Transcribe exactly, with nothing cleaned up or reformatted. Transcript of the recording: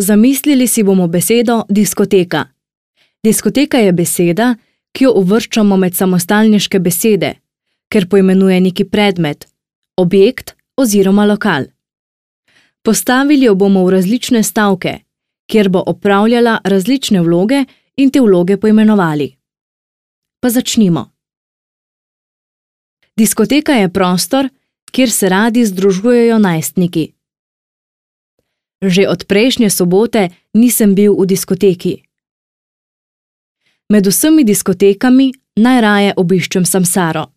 Zamislili si bomo besedo diskoteka. Diskoteka je beseda, ki jo uvrščamo med samostalniške besede, ker poimenuje neki predmet, objekt oziroma lokal. Postavili jo bomo v različne stavke, kjer bo opravljala različne vloge in te vloge poimenovali. Pa začnimo. Diskoteka je prostor, kjer se radi združujejo najstniki. Že od prejšnje sobote nisem bil v diskoteki. Med vsemi diskotekami najraje obiščem Samsaro.